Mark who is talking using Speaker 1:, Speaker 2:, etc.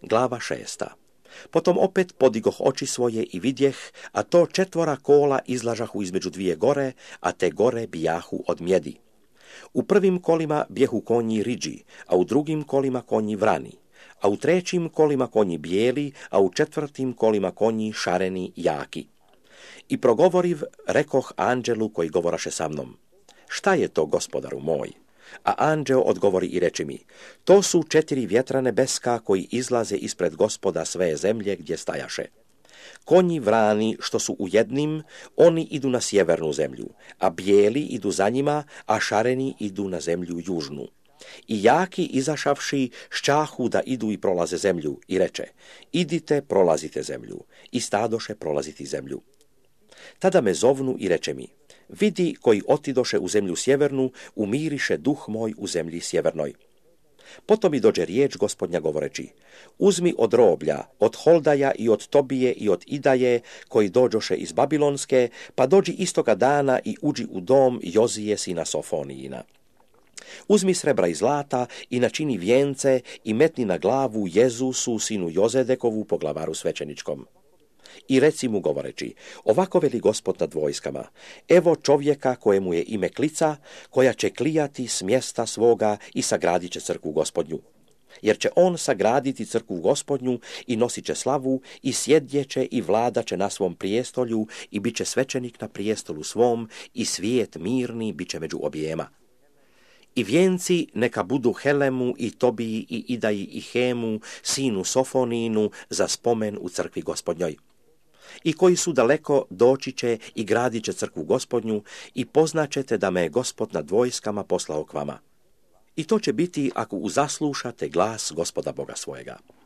Speaker 1: Glava 6. Potom opet podigoh oči svoje i vidjeh, a to 4 kola izlažahu između 2 gore, a te gore bijahu od mjedi. U prvim kolima bjehu konji riđi, a u drugim kolima konji vrani, a u trećim kolima konji bijeli, a u 4. kolima konji šareni jaki. I progovoriv, rekoh anđelu koji govoraše sa mnom: šta je to, gospodaru moj? A anđeo odgovori i reči mi: to su 4 vjetra nebeska koji izlaze ispred Gospoda sve zemlje gdje stajaše. Konji vrani što su u jednim, oni idu na sjevernu zemlju, a bijeli idu za njima, a šareni idu na zemlju južnu. I jaki izašavši šćahu da idu i prolaze zemlju i reče: idite, prolazite zemlju. I stadoše prolaziti zemlju. Tada me zovnu i reče mi: vidi, koji otidoše u zemlju sjevernu, umiriše duh moj u zemlji sjevernoj. Potom mi dođe riječ Gospodnja govoreći: uzmi od roblja, od Holdaja i od Tobije i od Idaje, koji dođoše iz Babilonske, pa dođi istoga dana i uđi u dom Jozije sina Sofonijina. Uzmi srebra i zlata i načini vijence i metni na glavu Jezusu sinu Jozedekovu poglavaru svećeničkom. I reci mu govoreći: ovako veli Gospod nad vojskama, evo čovjeka kojemu je ime Klica, koja će klijati s mjesta svoga i sagradit će crkvu Gospodnju. Jer će on sagraditi crkvu Gospodnju i nosit će slavu i sjedjeće i vladaće na svom prijestolju i bit će svećenik na prijestolu svom i svijet mirni bit će među objema. I vijenci neka budu Helemu i Tobiji i Idaji i Hemu, sinu Sofoninu, za spomen u crkvi Gospodnjoj. I koji su daleko doći će i gradit će crkvu Gospodnju i poznaćete da me je Gospod nad vojskama poslao k vama. I to će biti ako uzaslušate glas Gospoda Boga svojega.